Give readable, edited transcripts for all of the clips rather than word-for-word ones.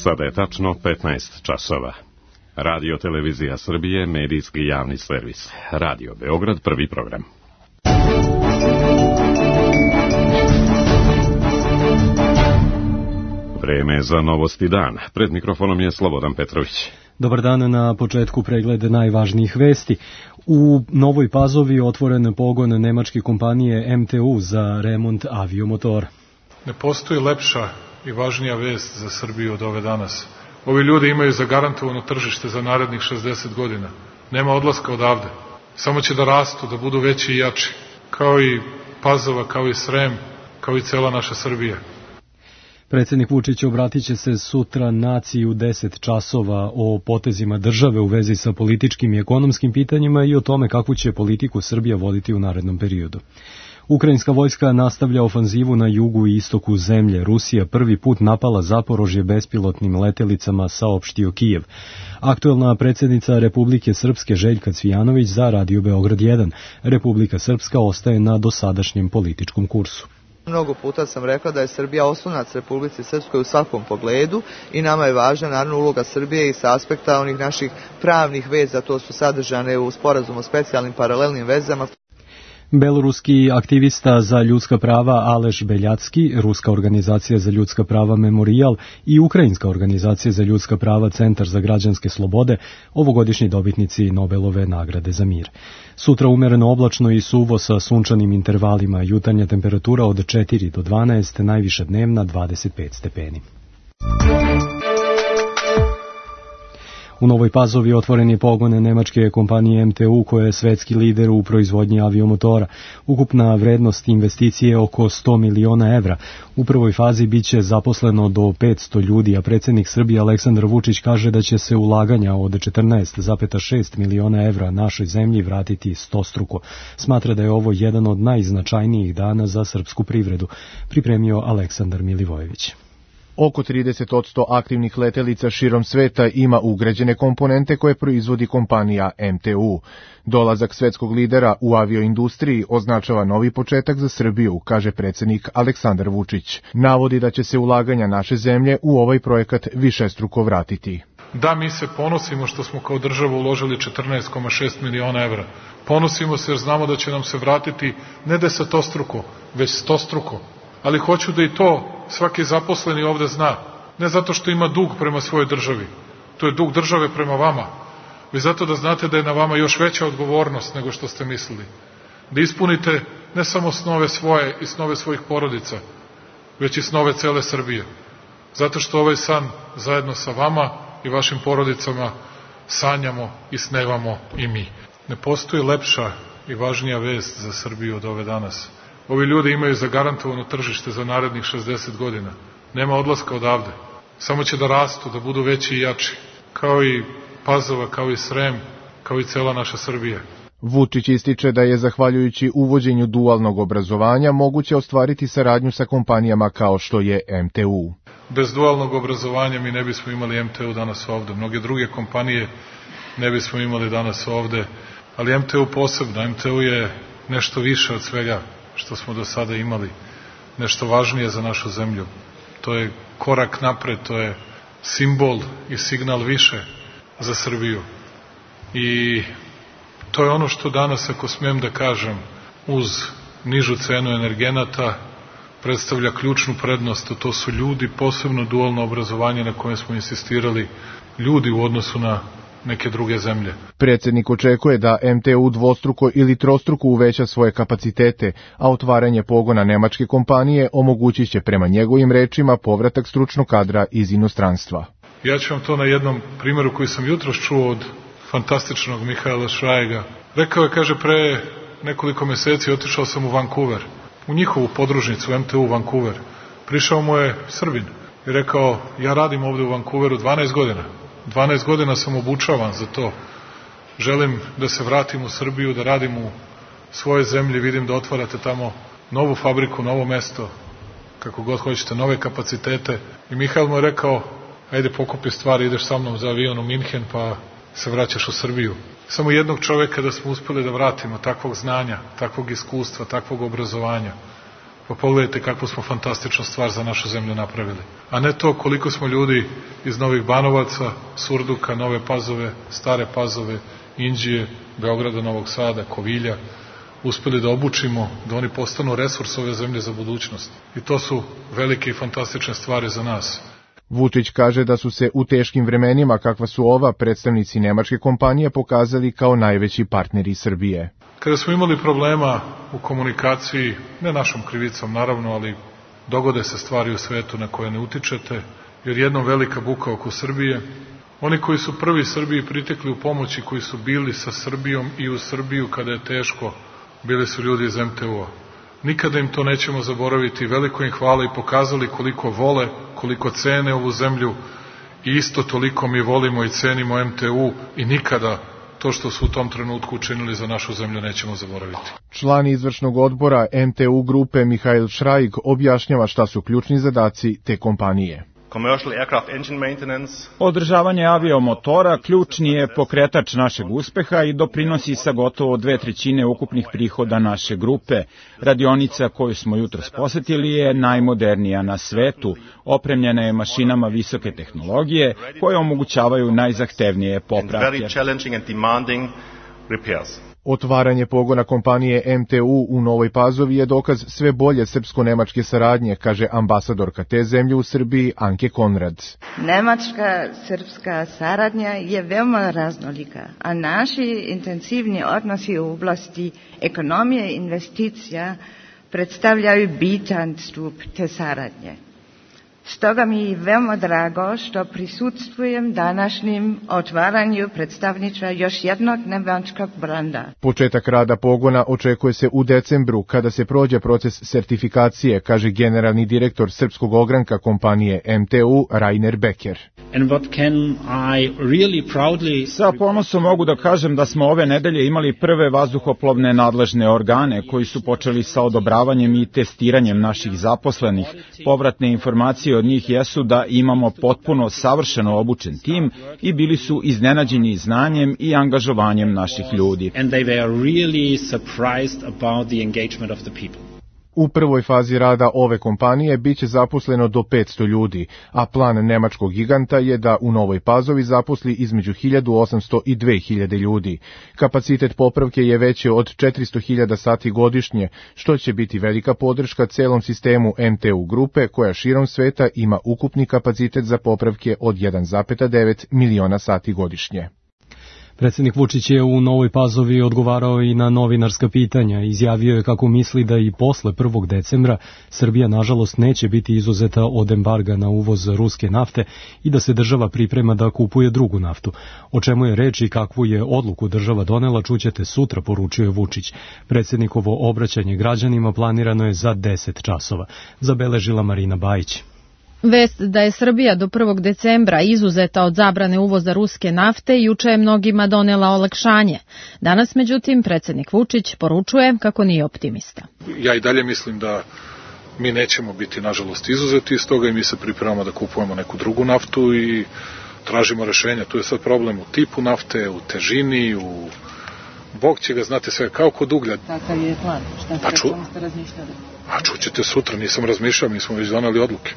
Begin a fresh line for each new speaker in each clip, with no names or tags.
Sada je tačno 15 časova. Radio Televizija Srbije, medijski javni servis. Radio Beograd, prvi program. Vreme za novosti dan. Pred mikrofonom je Slobodan Petrović.
Dobar dan, na početku pregled najvažnijih vesti. U Novoj Pazovi otvoren pogon nemačke kompanije MTU za remont aviomotora.
Ne postoji lepša i važnija vest za Srbiju od ove danas. Ovi ljudi imaju zagarantovano tržište za narednih 60 godina. Nema odlaska odavde. Samo će da rastu, da budu veći i jači. Kao i Pazova, kao i Srem, kao i cela naša Srbija.
Predsjednik Vučić obratit će se sutra naciji u 10 časova o potezima države u vezi sa političkim i ekonomskim pitanjima i o tome kakvu će politiku Srbija voditi u narednom periodu. Ukrajinska vojska nastavlja ofanzivu na jugu i istoku zemlje. Rusija prvi put napala Zaporožje bespilotnim letelicama, saopštio Kijev. Aktuelna predsjednica Republike Srpske Željka Cvijanović za Radio Beograd 1. Republika Srpska ostaje na dosadašnjem političkom kursu.
Mnogo puta sam rekla da je Srbija oslonac Republici Srpskoj u svakom pogledu i nama je važna naravno uloga Srbije i sa aspekta onih naših pravnih veza, to su sadržane u sporazumu o specijalnim paralelnim vezama.
Beloruski aktivista za ljudska prava Aleš Beljacki, Ruska organizacija za ljudska prava Memorijal i Ukrajinska organizacija za ljudska prava Centar za građanske slobode, ovogodišnji dobitnici Nobelove nagrade za mir. Sutra umereno oblačno i suvo sa sunčanim intervalima, jutarnja temperatura od 4 do 12, najviša dnevna 25 stepeni. U Novoj Pazovi otvoren je pogon nemačke kompanije MTU koja je svetski lider u proizvodnji aviomotora. Ukupna vrednost investicije je oko 100 miliona evra. U prvoj fazi biće zaposleno do 500 ljudi, a predsjednik Srbije Aleksandar Vučić kaže da će se ulaganja od 14,6 miliona evra našoj zemlji vratiti stostruko. Smatra da je ovo jedan od najznačajnijih dana za srpsku privredu, pripremio Aleksandar Milivojević.
Oko 30% aktivnih letelica širom sveta ima ugrađene komponente koje proizvodi kompanija MTU. Dolazak svetskog lidera u avioindustriji označava novi početak za Srbiju, kaže predsjednik Aleksandar Vučić. Navodi da će se ulaganja naše zemlje u ovaj projekat višestruko vratiti.
Da, mi se ponosimo što smo kao država uložili 14,6 miliona evra. Ponosimo se jer znamo da će nam se vratiti ne desetostruko, već stostruko. Ali hoću da i to svaki zaposleni ovde zna. Ne zato što ima dug prema svojoj državi. To je dug države prema vama. Vi zato da znate da je na vama još veća odgovornost nego što ste mislili. Da ispunite ne samo snove svoje i snove svojih porodica, već i snove cele Srbije. Zato što ovaj san zajedno sa vama i vašim porodicama sanjamo i snevamo i mi. Ne postoji lepša i važnija vest za Srbiju od ove danas. Ovi ljudi imaju zagarantovano tržište za narednih 60 godina. Nema odlaska odavde. Samo će da rastu, da budu veći i jači. Kao i Pazova, kao i Srem, kao i cela naša Srbija.
Vučić ističe da je zahvaljujući uvođenju dualnog obrazovanja moguće ostvariti saradnju sa kompanijama kao što je MTU.
Bez dualnog obrazovanja mi ne bismo imali MTU danas ovde. Mnoge druge kompanije ne bismo imali danas ovde. Ali MTU posebno. MTU je nešto više od svega što smo do sada imali, nešto važnije za našu zemlju. To je korak napred, to je simbol i signal više za Srbiju. I to je ono što danas, ako smijem da kažem, uz nižu cenu energenata, predstavlja ključnu prednost, a to su ljudi, posebno dualno obrazovanje na kojem smo insistirali, ljudi u odnosu na neke druge zemlje.
Predsjednik očekuje da MTU dvostruko ili trostruko uveća svoje kapacitete, a otvaranje pogona nemačke kompanije omogućit će prema njegovim rečima povratak stručnog kadra iz inostranstva.
Ja ću vam to na jednom primjeru koji sam jutros čuo od fantastičnog Mihaela Šrajega. Rekao je, kaže, pre nekoliko meseci otišao sam u Vancouver, u njihovu podružnicu MTU Vancouver. Prišao mu je Srbin i rekao, ja radim ovde u Vancouveru 12 godina. 12 godina sam obučavan za to. Želim da se vratim u Srbiju, da radim u svoje zemlji, vidim da otvarate tamo novu fabriku, novo mesto, kako god hoćete, nove kapacitete. I Mihael mu je rekao, ajde pokupi stvari, ideš sa mnom za avion u Minhen, pa se vraćaš u Srbiju. Samo jednog čoveka da smo uspeli da vratimo, takvog znanja, takvog iskustva, takvog obrazovanja. Pa pogledajte kakvu smo fantastičnu stvar za našu zemlju napravili. A ne to koliko smo ljudi iz Novih Banovaca, Surduka, Nove Pazove, Stare Pazove, Inđije, Beograda, Novog Sada, Kovilja, uspeli da obučimo, da oni postanu resurs ove zemlje za budućnost. I to su velike i fantastične stvari za nas.
Vučić kaže da su se u teškim vremenima kakva su ova predstavnici nemačke kompanije pokazali kao najveći partneri Srbije.
Kada smo imali problema u komunikaciji, ne našom krivicom naravno, ali dogode se stvari u svetu na koje ne utičete, jer jednom velika buka oko Srbije, oni koji su prvi Srbiji pritekli u pomoći, koji su bili sa Srbijom i u Srbiju kada je teško, bili su ljudi iz MTU-a. Nikada im to nećemo zaboraviti, veliko im hvala i pokazali koliko vole, koliko cene ovu zemlju i isto toliko mi volimo i cenimo MTU i nikada to što su u tom trenutku učinili za našu zemlju nećemo zaboraviti.
Član izvršnog odbora MTU grupe Mihail Šrajg objašnjava šta su ključni zadaci te kompanije.
Održavanje aviomotora ključni je pokretač našeg uspeha i doprinosi sa gotovo 2/3 ukupnih prihoda naše grupe. Radionica koju smo jutros posetili je najmodernija na svetu, opremljena je mašinama visoke tehnologije koje omogućavaju najzahtevnije popravke.
Otvaranje pogona kompanije MTU u Novoj Pazovi je dokaz sve bolje srpsko-nemačke saradnje, kaže ambasadorka te zemlje u Srbiji Anke Konrad.
Nemačka-srpska saradnja je veoma raznolika, a naši intenzivni odnosi u oblasti ekonomije i investicija predstavljaju bitan stup te saradnje. Stoga mi je veoma drago što prisustvujem današnjim otvaranju predstavništva još jednog nemačkog branda.
Početak rada pogona očekuje se u decembru, kada se prođe proces sertifikacije, kaže generalni direktor srpskog ogranka kompanije MTU Rainer Becker.
Sa ponosom mogu da kažem da smo ove nedelje imali prve vazduhoplovne nadležne organe koji su počeli sa odobravanjem i testiranjem naših zaposlenih. Povratne informacije od njih jesu da imamo potpuno savršeno obučen tim i bili su iznenađeni znanjem i angažovanjem naših ljudi.
U prvoj fazi rada ove kompanije biće zaposleno do 500 ljudi, a plan nemačkog giganta je da u Novoj Pazovi zaposli između 1800 i 2000 ljudi. Kapacitet popravke je veći od 400.000 sati godišnje, što će biti velika podrška celom sistemu MTU grupe, koja širom sveta ima ukupni kapacitet za popravke od 1,9 miliona sati godišnje.
Predsjednik Vučić je u Novoj Pazovi odgovarao i na novinarska pitanja. Izjavio je kako misli da i posle 1. decembra Srbija nažalost neće biti izuzeta od embarga na uvoz ruske nafte i da se država priprema da kupuje drugu naftu. O čemu je reč i kakvu je odluku država donela čućete sutra, poručio je Vučić. Predsjednikovo obraćanje građanima planirano je za 10 časova. Zabeležila Marina Bajić.
Vest da je Srbija do 1. decembra izuzeta od zabrane uvoza ruske nafte juče je mnogima donela olakšanje. Danas, međutim, predsjednik Vučić poručuje kako nije optimista.
Ja i dalje mislim da mi nećemo biti, nažalost, izuzeti iz toga i mi se pripremamo da kupujemo neku drugu naftu i tražimo rešenja. Tu je sad problem u tipu nafte, u težini, u... Bog će ga, znate sve, kao kod uglja.
Kakav je plan? Šta ste razmišljali?
A čućete sutra, nisam razmišljao, mi smo već doneli odluke.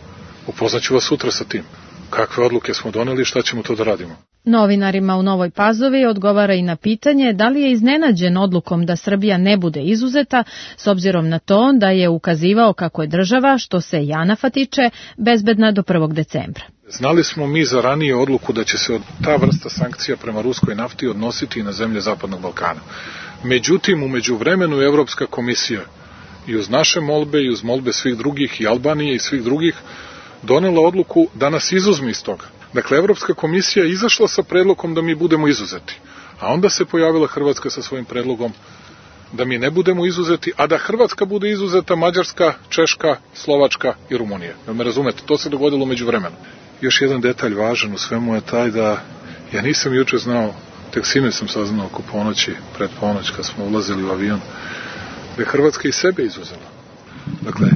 Upoznaću vas sutra sa tim. Kakve odluke smo doneli i šta ćemo to da radimo.
Novinarima u Novoj Pazovi odgovara i na pitanje da li je iznenađen odlukom da Srbija ne bude izuzeta, s obzirom na to da je ukazivao kako je država, što se JANAF-a tiče, bezbedna do 1. decembra.
Znali smo mi za ranije odluku da će se ta vrsta sankcija prema ruskoj nafti odnositi i na zemlje Zapadnog Balkana. Međutim, u međuvremenu Evropska komisija i uz naše molbe i uz molbe svih drugih i Albanije i svih drugih donela odluku da nas izuzme iz toga. Dakle, Evropska komisija je izašla sa predlogom da mi budemo izuzeti. A onda se pojavila Hrvatska sa svojim predlogom da mi ne budemo izuzeti, a da Hrvatska bude izuzeta, Mađarska, Češka, Slovačka i Rumunija. Da me razumete, to se dogodilo među vremenu. Još jedan detalj važan u svemu je taj da ja nisam juče znao, tek sinoć sam saznao oko ponoći, pred ponoć kad smo ulazili u avion, da je Hrvatska i sebe izuzela. Dakle,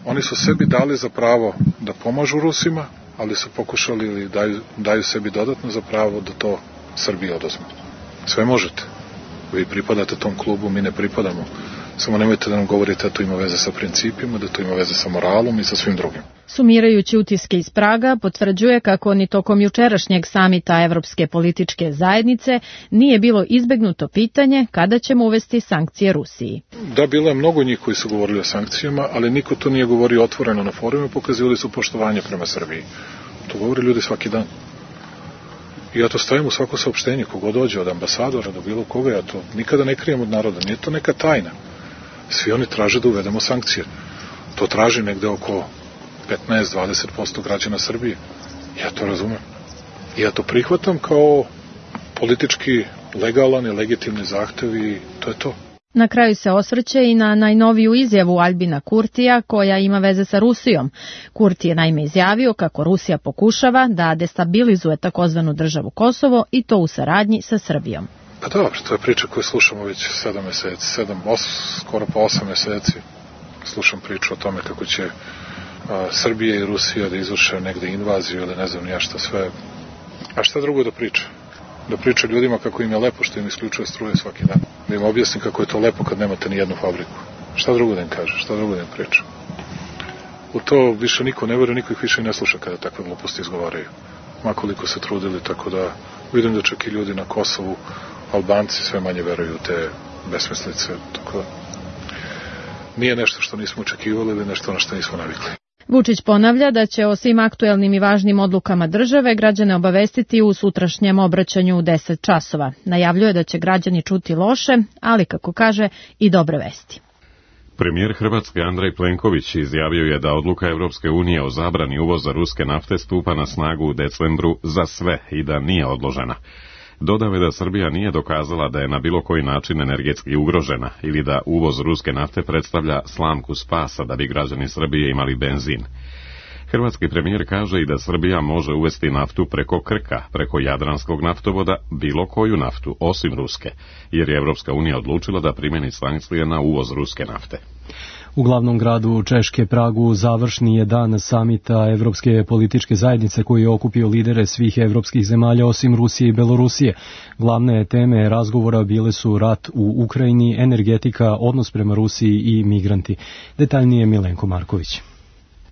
oni su sebi dali za pravo da pomažu Rusima, ali su pokušali ili daju sebi dodatno za pravo da to Srbiji oduzme. Sve možete. Vi pripadate tom klubu, mi ne pripadamo. Samo nemojte da nam govorite da to ima veze sa principima, da to ima veze sa moralom i sa svim drugim.
Sumirajući utiske iz Praga, potvrđuje kako ni tokom jučerašnjeg samita Evropske političke zajednice nije bilo izbegnuto pitanje kada ćemo uvesti sankcije Rusiji.
Da, bilo je mnogo njih koji su govorili o sankcijama, ali niko to nije govorio otvoreno na forumu, pokazivali su poštovanje prema Srbiji. To govore ljudi svaki dan. I ja to stavim u svako saopštenje, kogo dođe, od ambasadora do bilo koga, ja to nikada ne krijem od naroda, nije to neka tajna. Svi oni traže da uvedemo sankcije. To traži negde oko 15-20% građana Srbije. Ja to razumem. I ja to prihvatam kao politički legalan i legitimni zahtev i to je to.
Na kraju se osvrće i na najnoviju izjavu Albina Kurtija koja ima veze sa Rusijom. Kurti je naime izjavio kako Rusija pokušava da destabilizuje takozvanu državu Kosovo i to u saradnji sa Srbijom.
Pa dobro, to je priča koju slušamo već 7 meseci, skoro pa 8 meseci. Slušam priču o tome kako će Srbija i Rusija da izvrše negde invaziju ili ne znam ja šta sve. A šta drugo da priča? Da priča ljudima kako im je lepo što im isključuje struje svaki dan. Da im objasni kako je to lepo kad nemate ni jednu fabriku. Šta drugo da im kaže, šta drugo da im priča? U to više niko ne veruje, niko ih više ne sluša kada takve gluposti izgovaraju. Makoliko se trudili, tako da vidim da čak i ljudi na Kosovu, Albanci sve manje veruju u te besmislice. Tako da nije nešto što nismo očekivali ili nešto na što nismo navikli.
Vučić ponavlja da će o svim aktuelnim i važnim odlukama države građane obavestiti u sutrašnjem obraćanju u 10 časova. Najavljuje da će građani čuti loše, ali kako kaže i dobre vesti.
Premijer Hrvatske Andrej Plenković izjavio je da odluka Evropske unije o zabrani uvoza ruske nafte stupa na snagu u decembru za sve i da nije odložena. Dodao je da Srbija nije dokazala da je na bilo koji način energetski ugrožena ili da uvoz ruske nafte predstavlja slamku spasa da bi građani Srbije imali benzin. Hrvatski premijer kaže i da Srbija može uvesti naftu preko Krka, preko Jadranskog naftovoda, bilo koju naftu, osim ruske, jer je Evropska unija odlučila da primjeni sankcije na uvoz ruske nafte.
U glavnom gradu Češke, Pragu, završni je dan samita Evropske političke zajednice koji je okupio lidere svih evropskih zemalja osim Rusije i Belorusije. Glavne teme razgovora bile su rat u Ukrajini, energetika, odnos prema Rusiji i migranti. Detaljnije Milenko Marković.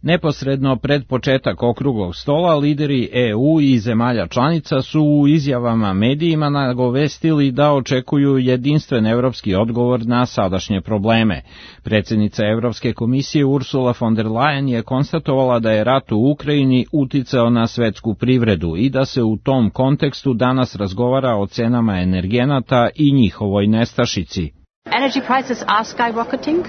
Neposredno pred početak okruglog stola, lideri EU i zemalja članica su u izjavama medijima nagovestili da očekuju jedinstven evropski odgovor na sadašnje probleme. Predsjednica Evropske komisije Ursula von der Leyen je konstatovala da je rat u Ukrajini uticao na svetsku privredu i da se u tom kontekstu danas razgovara o cenama energenata i njihovoj nestašici.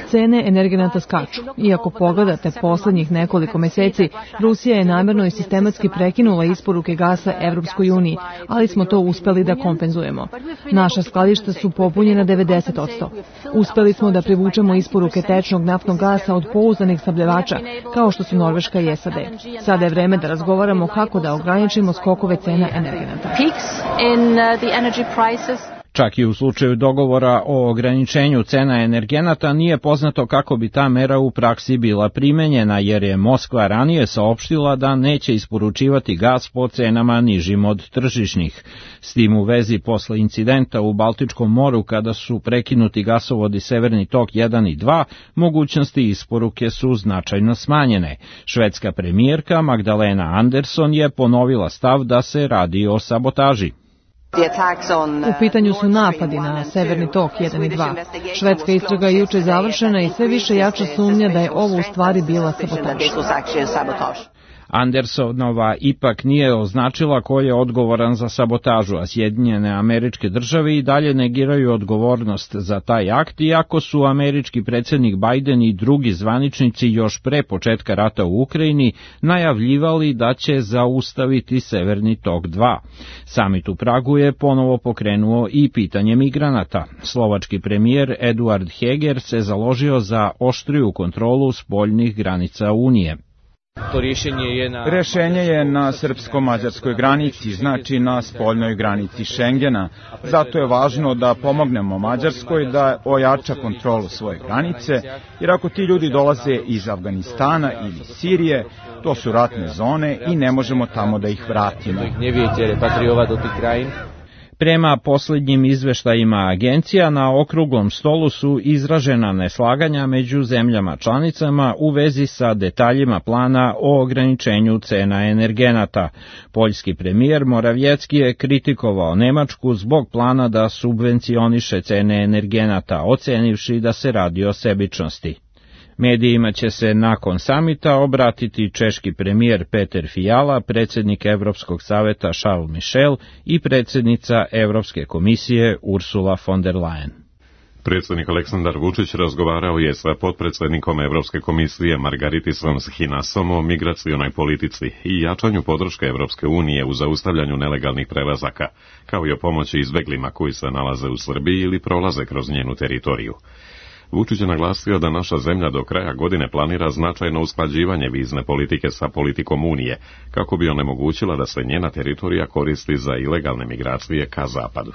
Cene energenata skaču. Iako pogledate poslednjih nekoliko meseci, Rusija je namjerno i sistematski prekinula isporuke gasa Evropskoj uniji, ali smo to uspeli da kompenzujemo. Naša skladišta su popunjena 90%. Uspeli smo da privučemo isporuke tečnog naftnog gasa od pouzdanih snabdevača, kao što su Norveška i SAD. Sada je vreme da razgovaramo kako da ograničimo skokove cena energenata.
Čak i u slučaju dogovora o ograničenju cena energenata nije poznato kako bi ta mera u praksi bila primenjena, jer je Moskva ranije saopštila da neće isporučivati gas po cenama nižim od tržišnih. S tim u vezi posle incidenta u Baltičkom moru kada su prekinuti gasovodi Severni tok 1 i 2, mogućnosti isporuke su značajno smanjene. Švedska premijerka Magdalena Andersson je ponovila stav da se radi o sabotaži.
U pitanju su napadi na Severni tok 1 i 2. Švedska istraga je juče završena i sve više jača sumnja da je ovo u stvari bila sabotaž.
Andersonova ipak nije označila ko je odgovoran za sabotažu, a Sjedinjene Američke Države i dalje negiraju odgovornost za taj akt, iako su američki predsjednik Biden i drugi zvaničnici još pre početka rata u Ukrajini najavljivali da će zaustaviti Severni tok 2. Samit u Pragu je ponovo pokrenuo i pitanje migranata. Slovački premijer Eduard Heger se založio za oštriju kontrolu spoljnih granica Unije.
Rešenje je na srpsko-mađarskoj granici, znači na spoljnoj granici Šengena. Zato je važno da pomognemo Mađarskoj da ojača kontrolu svoje granice, jer ako ti ljudi dolaze iz Afganistana ili Sirije, to su ratne zone i ne možemo tamo da ih vratimo.
Prema posljednjim izveštajima agencija, na okruglom stolu su izražena neslaganja među zemljama članicama u vezi sa detaljima plana o ograničenju cena energenata. Poljski premijer Morawiecki je kritikovao Nemačku zbog plana da subvencioniše cene energenata, ocenivši da se radi o sebičnosti. Medijima će se nakon samita obratiti češki premijer Peter Fiala, predsjednik Evropskog saveta Charles Michel i predsjednica Evropske komisije Ursula von der Leyen.
Predsjednik Aleksandar Vučić razgovarao je sa potpredsjednikom Evropske komisije Margaritisom Schinasom o migracionoj politici i jačanju podrške Evropske unije u zaustavljanju nelegalnih prelazaka, kao i o pomoći izbeglima koji se nalaze u Srbiji ili prolaze kroz njenu teritoriju. Vučić je naglasio da naša zemlja do kraja godine planira značajno usklađivanje vizne politike sa politikom Unije, kako bi onemogućila da se njena teritorija koristi za ilegalne migracije ka zapadu.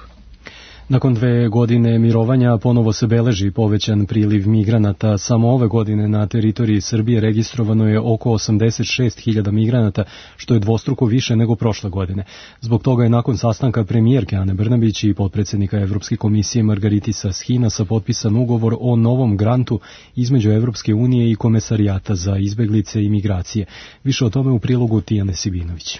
Nakon 2 godine mirovanja ponovo se beleži povećan priliv migranata. Samo ove godine na teritoriji Srbije registrovano je oko 86.000 migranata, što je dvostruko više nego prošle godine. Zbog toga je nakon sastanka premijerke Ane Brnabić i potpredsjednika Evropske komisije Margaritisa Schinasa potpisan ugovor o novom grantu između Evropske unije i Komesarijata za izbeglice i migracije. Više o tome u prilogu Tijane Sibinović.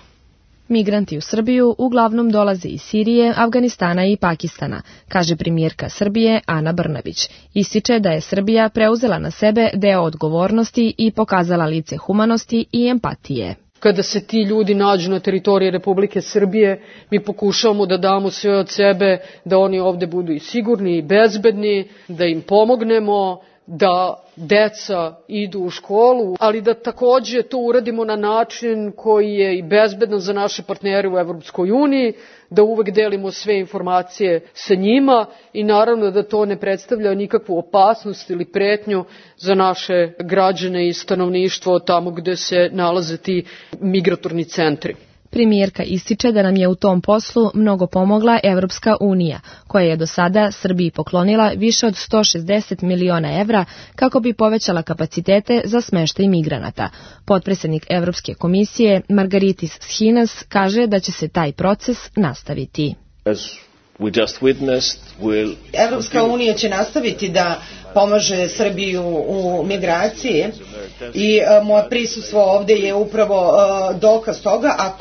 Migranti u Srbiju uglavnom dolaze iz Sirije, Afganistana i Pakistana, kaže premijerka Srbije Ana Brnabić. Ističe da je Srbija preuzela na sebe deo odgovornosti i pokazala lice humanosti i empatije.
Kada se ti ljudi nađu na teritoriji Republike Srbije, mi pokušavamo da damo sve od sebe, da oni ovde budu i sigurni i bezbedni, da im pomognemo, da deca idu u školu, ali da takođe to uradimo na način koji je i bezbedan za naše partnere u Evropskoj uniji, da uvek delimo sve informacije sa njima i naravno da to ne predstavlja nikakvu opasnost ili pretnju za naše građane i stanovništvo tamo gde se nalaze ti migratorni centri.
Premijerka ističe da nam je u tom poslu mnogo pomogla Evropska unija, koja je do sada Srbiji poklonila više od 160 miliona evra kako bi povećala kapacitete za smeštaj migranata. Potpredsjednik Evropske komisije Margaritis Schinas kaže da će se taj proces nastaviti.
Evropska unija će nastaviti da pomaže Srbiju u migraciji i moje prisustvo ovde je upravo dokaz toga, a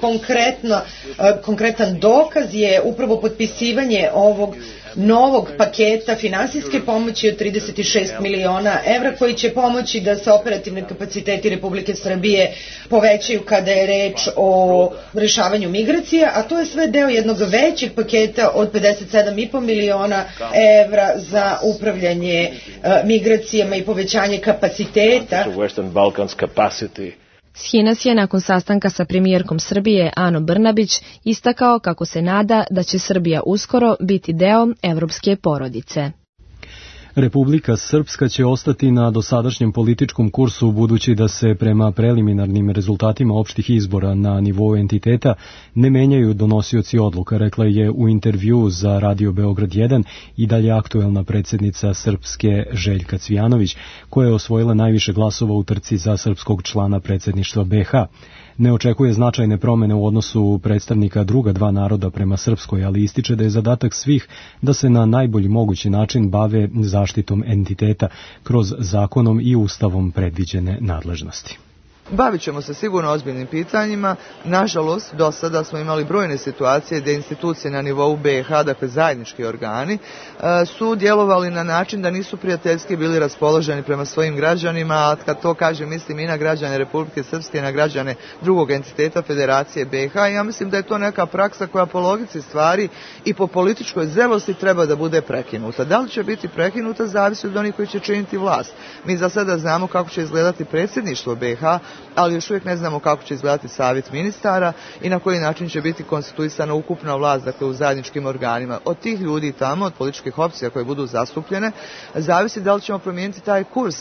konkretan dokaz je upravo potpisivanje ovog novog paketa finansijske pomoći od 36 miliona evra koji će pomoći da se operativni kapaciteti Republike Srbije povećaju kada je reč o rešavanju migracija, a to je sve deo jednog većeg paketa od 57,5 miliona evra za upravljanje migracijama i povećanje kapaciteta.
Schinas je nakon sastanka sa premijerkom Srbije Anom Brnabić istakao kako se nada da će Srbija uskoro biti deo evropske porodice.
Republika Srpska će ostati na dosadašnjem političkom kursu budući da se prema preliminarnim rezultatima opštih izbora na nivou entiteta ne menjaju donosioci odluka, rekla je u intervju za Radio Beograd 1 i dalje aktuelna predsjednica Srpske Željka Cvijanović, koja je osvojila najviše glasova u trci za srpskog člana predsjedništva BiH. Ne očekuje značajne promene u odnosu predstavnika druga dva naroda prema Srpskoj, ali ističe da je zadatak svih da se na najbolji mogući način bave zaštitom entiteta kroz zakonom i ustavom predviđene nadležnosti.
Bavit ćemo se sigurno ozbiljnim pitanjima. Nažalost, do sada smo imali brojne situacije gdje institucije na nivou BiH, dakle zajednički organi, su djelovali na način da nisu prijateljski bili raspoloženi prema svojim građanima, a kad to kažem mislim i na građane Republike Srpske i na građane drugog entiteta Federacije BiH. Ja mislim da je to neka praksa koja po logici stvari i po političkoj zrelosti treba da bude prekinuta. Da li će biti prekinuta zavisi od onih koji će činiti vlast. Mi za sada znamo kako će izgledati predsjedništvo BiH, ali još uvijek ne znamo kako će izgledati savjet ministara i na koji način će biti konstituisana ukupna vlast, dakle u zajedničkim organima. Od tih ljudi tamo, od političkih opcija koje budu zastupljene, zavisi da li ćemo promijeniti taj kurs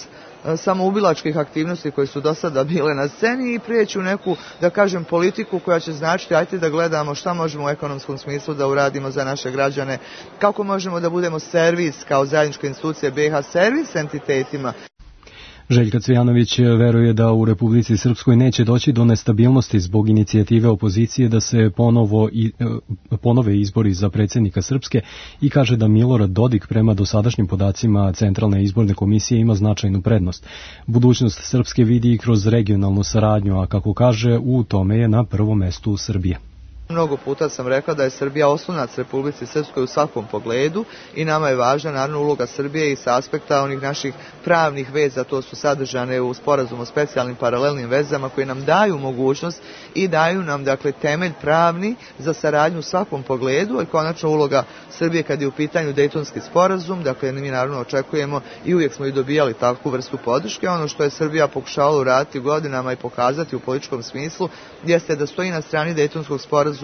samoubilačkih aktivnosti koje su do sada bile na sceni i prijeći u neku, da kažem, politiku koja će značiti ajte da gledamo šta možemo u ekonomskom smislu da uradimo za naše građane, kako možemo da budemo servis kao zajednička institucija BiH, servis entitetima.
Željka Cvijanović veruje da u Republici Srpskoj neće doći do nestabilnosti zbog inicijative opozicije da se ponove izbori za predsjednika Srpske i kaže da Milorad Dodik prema dosadašnjim podacima Centralne izborne komisije ima značajnu prednost. Budućnost Srpske vidi i kroz regionalnu saradnju, a kako kaže, u tome je na prvom mestu Srbije.
Mnogo puta sam rekla da je Srbija oslonac Republici Srpskoj u svakom pogledu i nama je važna naravno uloga Srbije i sa aspekta onih naših pravnih veza, to su sadržane u sporazumu o specijalnim paralelnim vezama koji nam daju mogućnost i daju nam dakle temelj pravni za saradnju u svakom pogledu i konačno uloga Srbije kad je u pitanju Dejtonski sporazum, dakle mi naravno očekujemo i uvijek smo i dobijali takvu vrstu podrške. Ono što je Srbija pokušavala uraditi godinama i pokazati u političkom smislu jeste da stoji na strani Dejtonskog sporazuma,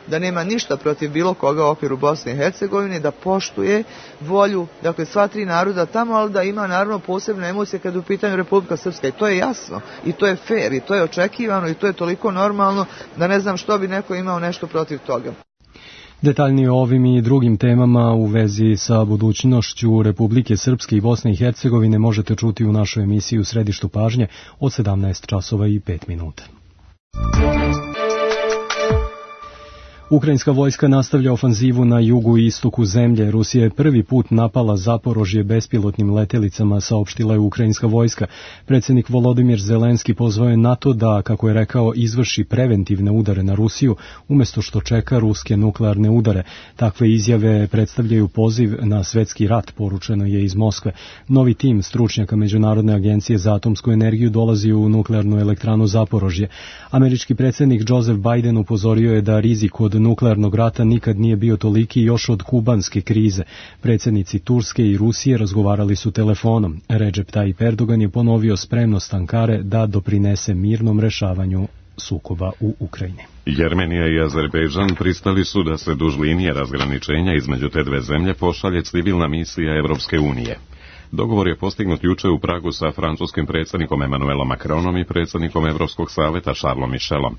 da nema ništa protiv bilo koga u okviru Bosne i Hercegovine, da poštuje volju, dakle, sva tri naroda tamo, ali da ima naravno posebne emocije kada je u pitanju Republika Srpska. I to je jasno, i to je fair, i to je očekivano, i to je toliko normalno da ne znam što bi neko imao nešto protiv toga.
Detaljnije o ovim i drugim temama u vezi sa budućnošću Republike Srpske i Bosne i Hercegovine možete čuti u našoj emisiji U središtu pažnje od 17 časova i 5 minuta. Ukrajinska vojska nastavlja ofanzivu na jugu i istoku zemlje. Rusija je prvi put napala Zaporožje bespilotnim letelicama, saopštila je ukrajinska vojska. Predsjednik Volodimir Zelenski pozvao je NATO da, kako je rekao, izvrši preventivne udare na Rusiju, umjesto što čeka ruske nuklearne udare. Takve izjave predstavljaju poziv na svetski rat, poručeno je iz Moskve. Novi tim stručnjaka Međunarodne agencije za atomsku energiju dolazi u nuklearnu elektranu Zaporožje. Američki predsjednik Joseph Biden upozorio je da rizik od nuklearnog rata nikad nije bio toliki još od kubanske krize. Predsjednici Turske i Rusije razgovarali su telefonom. Recep Tayyip Erdogan je ponovio spremnost Ankare da doprinese mirnom rešavanju sukoba u Ukrajini.
Jermenija i Azerbejdžan pristali su da se duž linije razgraničenja između te dve zemlje pošalje civilna misija Evropske unije. Dogovor je postignut juče u Pragu sa francuskim predsjednikom Emmanuelom Macronom i predsjednikom Evropskog saveta Charlesom Michelom.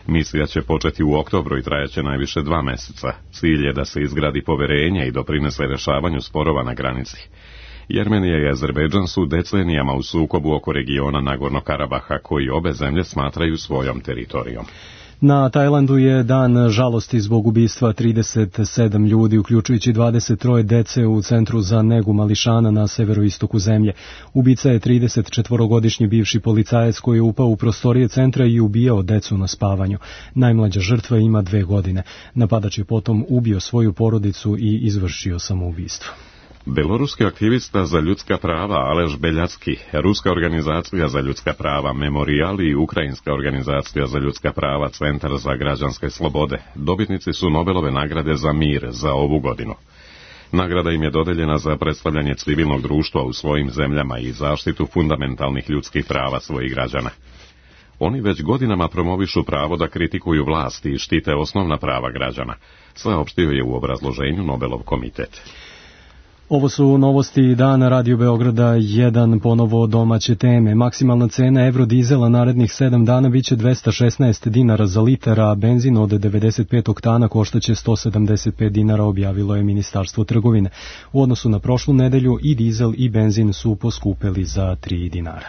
Misija će početi u oktobru i trajaće najviše 2 mjeseca. Cilj je da se izgradi poverenje i doprinese rješavanju sporova na granici. Jermenija i Azerbejdžan su decenijama u sukobu oko regiona Nagorno Karabaha, koji obe zemlje smatraju svojom teritorijom.
Na Tajlandu je dan žalosti zbog ubistva 37 ljudi, uključujući 23 dece u centru za negu mališana na severoistoku zemlje. Ubica je 34-godišnji bivši policajac koji je upao u prostorije centra i ubijao decu na spavanju. Najmlađa žrtva ima 2 godine. Napadač je potom ubio svoju porodicu i izvršio samoubistvo.
Beloruski aktivista za ljudska prava Aleš Beljacki, Ruska organizacija za ljudska prava Memorial i Ukrajinska organizacija za ljudska prava Centar za građanske slobode dobitnici su Nobelove nagrade za mir za ovu godinu. Nagrada im je dodeljena za predstavljanje civilnog društva u svojim zemljama i zaštitu fundamentalnih ljudskih prava svojih građana. Oni već godinama promovišu pravo da kritikuju vlasti i štite osnovna prava građana, saopštio je u obrazloženju Nobelov komitet.
Ovo su novosti dana Radio Beograda 1, ponovo domaće teme. Maksimalna cena Eurodizela narednih 7 dana biće 216 dinara za litar, a benzin od 95 oktana koštaće 175 dinara, objavilo je Ministarstvo trgovine. U odnosu na prošlu nedelju i dizel i benzin su poskupeli za 3 dinara.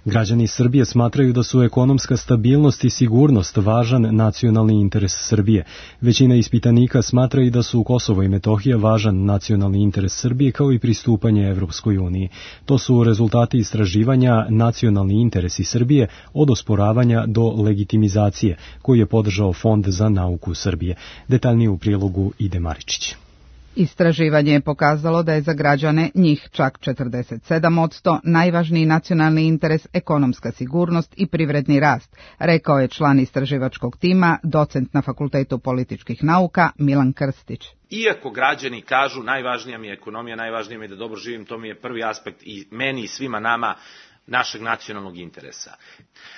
Građani Srbije smatraju da su ekonomska stabilnost i sigurnost važan nacionalni interes Srbije. Većina ispitanika smatra i da su Kosovo i Metohija važan nacionalni interes Srbije kao i pristupanje Evropskoj uniji. To su rezultati istraživanja Nacionalni interesi Srbije od osporavanja do legitimizacije, koji je podržao Fond za nauku Srbije. Detaljnije u prilogu Ide Maričić.
Istraživanje je pokazalo da je za građane, njih čak 47%, najvažniji nacionalni interes ekonomska sigurnost i privredni rast, rekao je član istraživačkog tima, docent na Fakultetu političkih nauka Milan Krstić.
Iako građani kažu najvažnija mi je ekonomija, najvažnije mi je da dobro živim, to mi je prvi aspekt i meni i svima nama našeg nacionalnog interesa.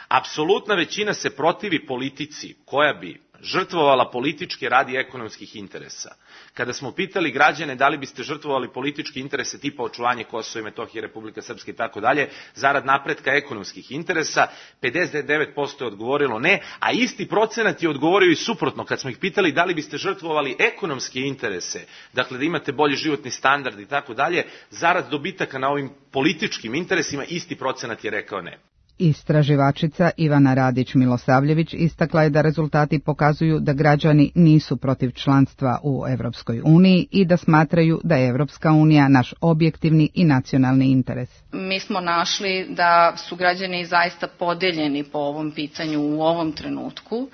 Apsolutna većina se protivi politici koja bi žrtvovala političke radi ekonomskih interesa. Kada smo pitali građane da li biste žrtvovali političke interese tipa očuvanje Kosova i Metohije, Republika Srpska i tako dalje, zarad napretka ekonomskih interesa, 59% je odgovorilo ne, a isti procenat je odgovorio i suprotno. Kad smo ih pitali da li biste žrtvovali ekonomske interese, dakle da imate bolji životni standard i tako dalje, zarad dobitaka na ovim političkim interesima, isti procenat je rekao ne.
Istraživačica Ivana Radić-Milosavljević istakla je da rezultati pokazuju da građani nisu protiv članstva u Evropskoj uniji i da smatraju da je Evropska unija naš objektivni i nacionalni interes.
Mi smo našli da su građani zaista podeljeni po ovom pitanju u ovom trenutku.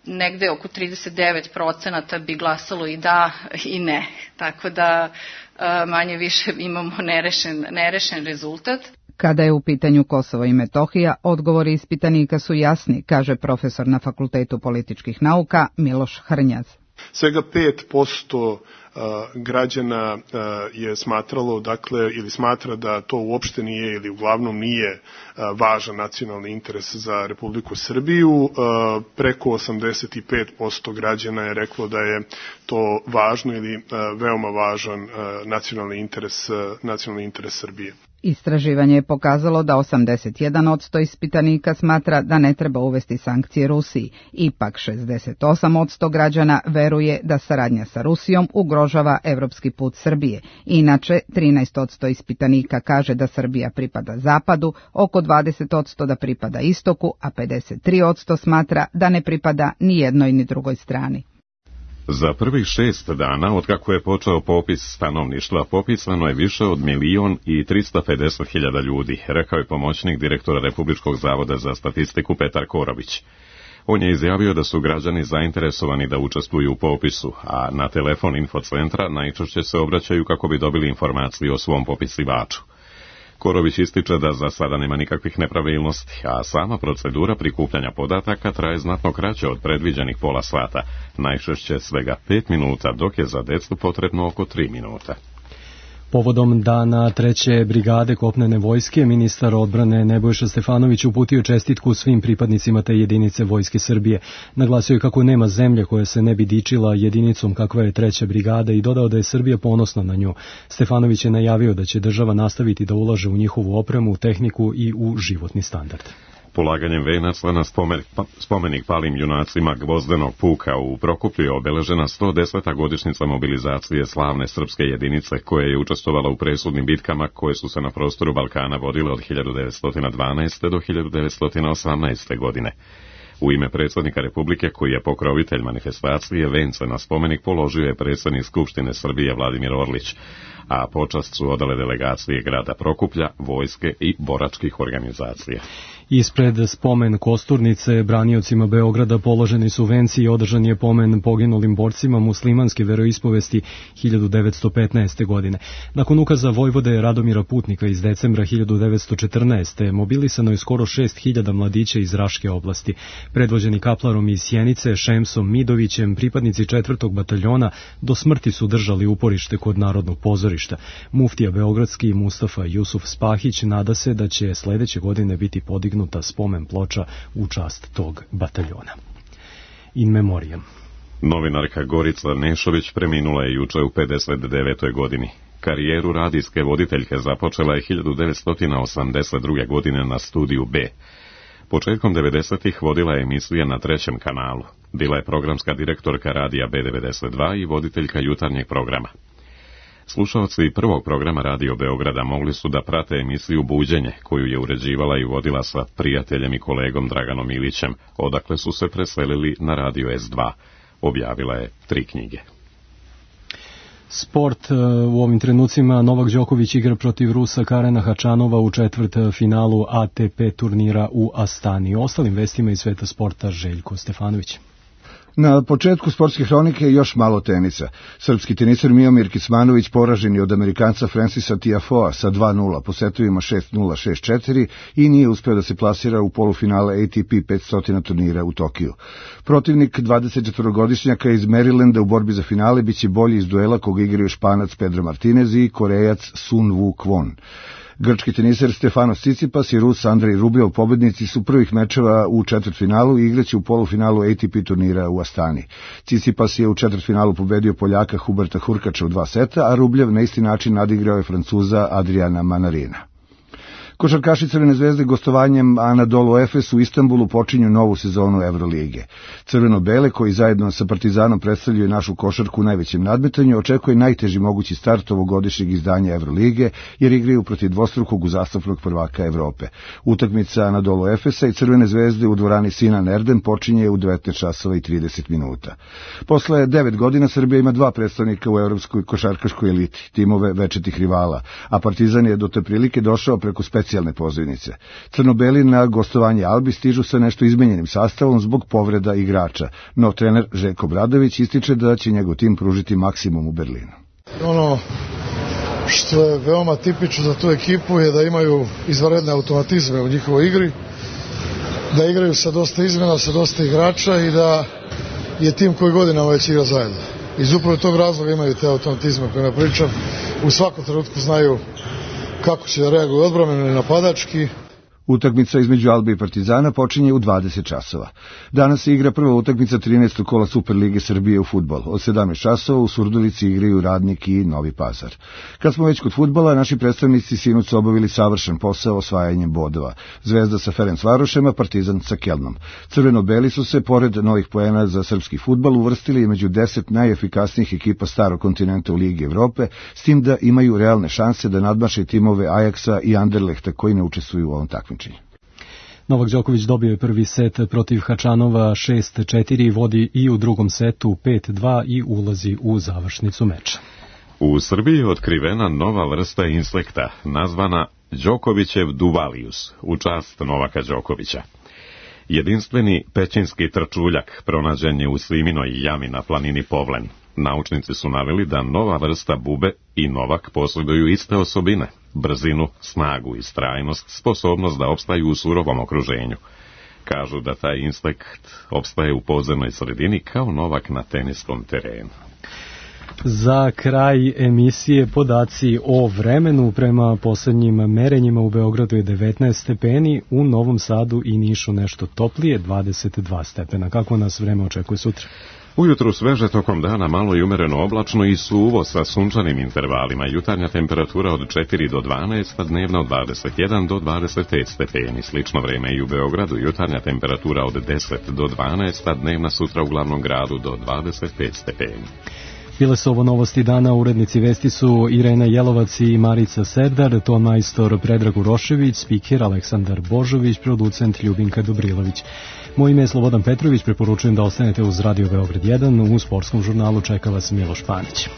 Negde oko 39% bi glasalo i da i ne, tako da manje više imamo nerešen rezultat.
Kada je u pitanju Kosovo i Metohija, odgovori ispitanika su jasni, kaže profesor na Fakultetu političkih nauka Miloš Hrnjaz.
Svega 5% građana je smatralo, dakle, ili smatra da to uopšte nije ili uglavnom nije važan nacionalni interes za Republiku Srbiju. Preko 85% građana je reklo da je to važno ili veoma važan nacionalni interes Srbije.
Istraživanje je pokazalo da 81% ispitanika smatra da ne treba uvesti sankcije Rusiji. Ipak 68% građana veruje da saradnja sa Rusijom ugrožava evropski put Srbije. Inače, 13% ispitanika kaže da Srbija pripada zapadu, oko 20% da pripada istoku, a 53% smatra da ne pripada ni jednoj ni drugoj strani.
Za prvih 6 dana, otkako je počeo popis stanovništva, popisano je više od 1.350.000 ljudi, rekao je pomoćnik direktora Republičkog zavoda za statistiku Petar Korović. On je izjavio da su građani zainteresovani da učestvuju u popisu, a na telefon infocentra najčešće se obraćaju kako bi dobili informaciju o svom popisivaču. Korović ističe da za sada nema nikakvih nepravilnosti, a sama procedura prikupljanja podataka traje znatno kraće od predviđenih pola sata, najčešće svega 5 minuta, dok je za decu potrebno oko 3 minuta.
Povodom dana 3. brigade kopnene vojske, ministar odbrane Nebojša Stefanović uputio čestitku svim pripadnicima te jedinice Vojske Srbije. Naglasio je kako nema zemlje koja se ne bi dičila jedinicom kakva je 3. brigada i dodao da je Srbija ponosna na nju. Stefanović je najavio da će država nastaviti da ulaže u njihovu opremu, tehniku i u životni standard.
Polaganjem venaca na spomenik palim junacima Gvozdenog puka u Prokuplju je obeležena 110. godišnjica mobilizacije slavne srpske jedinice koja je učestvovala u presudnim bitkama koje su se na prostoru Balkana vodile od 1912. do 1918. godine. U ime predsjednika Republike, koji je pokrovitelj manifestacije, vence na spomenik položio je predsjednik Skupštine Srbije Vladimir Orlić, a počast su odale delegacije grada Prokuplja, vojske i boračkih organizacija.
Ispred spomen Kosturnice braniocima Beograda položeni su venci i održan je pomen poginulim borcima muslimanske veroispovesti 1915. godine. Nakon ukaza vojvode Radomira Putnika iz decembra 1914. mobilisano je skoro 6.000 mladića iz Raške oblasti. Predvođeni kaplarom iz Sjenice, Šemsom Midovićem, pripadnici 4. bataljona do smrti su držali uporište kod Narodnog pozorišta. Muftija beogradski Mustafa Jusuf Spahić nada se da će sledeće godine biti podignuta spomen ploča u čast tog bataljona. In memoriam.
Novinarka Gorica Nešović preminula je juče u 59. godini. Karijeru radijske voditeljke započela je 1982. godine na Studiju B. Početkom 90-ih vodila je emisije na 3. kanalu. Bila je programska direktorka radija B92 i voditeljka jutarnjeg programa. Slušalci prvog programa Radio Beograda mogli su da prate emisiju Buđenje, koju je uređivala i vodila sa prijateljem i kolegom Draganom Ilićem, odakle su se preselili na Radio S2. Objavila je 3 knjige.
Sport u ovim trenucima. Novak Đoković igra protiv Rusa Karena Hačanova u četvrtfinalu ATP turnira u Astani. Ostalim vestima iz sveta sporta Željko Stefanović.
Na početku sportske hronike još malo tenisa. Srpski teniser Miomir Kecmanović poražen je od Amerikanca Francisa Tiafoea sa 2-0 po setovima 6-0, 6-4 i nije uspeo da se plasira u polufinale ATP 500 turnira u Tokiju. Protivnik 24-godišnjaka iz Marylanda u borbi za finale biće bolji iz duela koga igraju Španac Pedro Martinez i Korejac Sun Woo Kwon. Grčki teniser Stefanos Tsitsipas i Rus Andrej Rublev pobednici su prvih mečeva u četvrtfinalu i igraće u polufinalu ATP turnira u Astani. Tsitsipas je u četvrtfinalu pobedio Poljaka Huberta Hurkača u 2 seta, a Rublev na isti način nadigrao je Francuza Adriana Manarina. Košarkaši Crvene zvezde gostovanjem Anadolu Efes u Istanbulu počinju novu sezonu Evrolige. Crveno-bele, koji zajedno sa Partizanom predstavljaju našu košarku u najvećem nadmetanju, očekuje najteži mogući start ovogodišnjeg izdanja Evrolige, jer igraju protiv dvostrukog uzastopnog prvaka Evrope. Utakmica Anadolu Efesa i Crvene zvezde u dvorani Sinan Erdem počinje u 19:30. Posle 9 godina Srbija ima 2 predstavnika u evropskoj košarkaškoj eliti, timove večitih rivala, a Partizan je do te prilike došao preko specijalne pozivnice. Crno-beli na gostovanje Albi stižu sa nešto izmenjenim sastavom zbog povreda igrača, no trener Željko Obradović ističe da će njegov tim pružiti maksimum u Berlinu.
Ono što je veoma tipično za tu ekipu je da imaju izvanredne automatizme u njihovoj igri, da igraju sa dosta izmena, sa dosta igrača i da je tim koji godinama već igra zajedno. Iz upravo tog razloga imaju te automatizme koje pričam. U svakom trenutku znaju kako će da reaguju odbrambeno i napadački.
Utakmica između Albe i Partizana počinje u 20 časova. Danas se igra prva utakmica 13. kola Superlige Srbije u fudbal. Od 17 časova u Surdulici igraju Radnik i Novi Pazar. Kad smo već kod fudbala, naši predstavnici sinoć su obavili savršen posao osvajanjem bodova. Zvezda sa Ferencvarošem, a Partizan sa Kelnom. Crveno-beli su se, pored novih poena za srpski fudbal, uvrstili među 10 najefikasnijih ekipa starog kontinenta u Ligi Evrope, s tim da imaju realne šanse da nadmaše timove Ajaksa i Anderlehta koji ne učestvuju u ovom takmičenju.
Novak Đoković dobio je prvi set protiv Hačanova 6-4, vodi i u drugom setu 5-2 i ulazi u završnicu meča.
U Srbiji je otkrivena nova vrsta insekta, nazvana Đokovićev duvalius, u čast Novaka Đokovića. Jedinstveni pećinski trčuljak pronađen je u Sliminoj jami na planini Povlen. Naučnici su naveli da nova vrsta bube i Novak posjeduju iste osobine, brzinu, snagu i strajnost, sposobnost da opstaju u surovom okruženju. Kažu da taj insekt opstaje u podzemnoj sredini kao Novak na teniskom terenu.
Za kraj emisije podaci o vremenu. Prema poslednjim merenjima u Beogradu je 19 stepeni, u Novom Sadu i Nišu nešto toplije, 22 stepena. Kako nas vreme očekuje sutra?
Ujutru sveže, tokom dana malo i umereno oblačno i suvo sa sunčanim intervalima. Jutarnja temperatura od 4 do 12, a dnevna od 21 do 25 stepeni. Slično vreme i u Beogradu. Jutarnja temperatura od 10 do 12, a dnevna sutra u glavnom gradu do 25 stepeni.
Bile su ovo novosti dana, urednici vesti su Irena Jelovac i Marica Serdar, ton majstor Predrag Urošević, spiker Aleksandar Božović, producent Ljubinka Dobrilović. Moje ime je Slobodan Petrović, preporučujem da ostanete uz Radio Beograd 1, u sportskom žurnalu čeka vas Miloš Panić.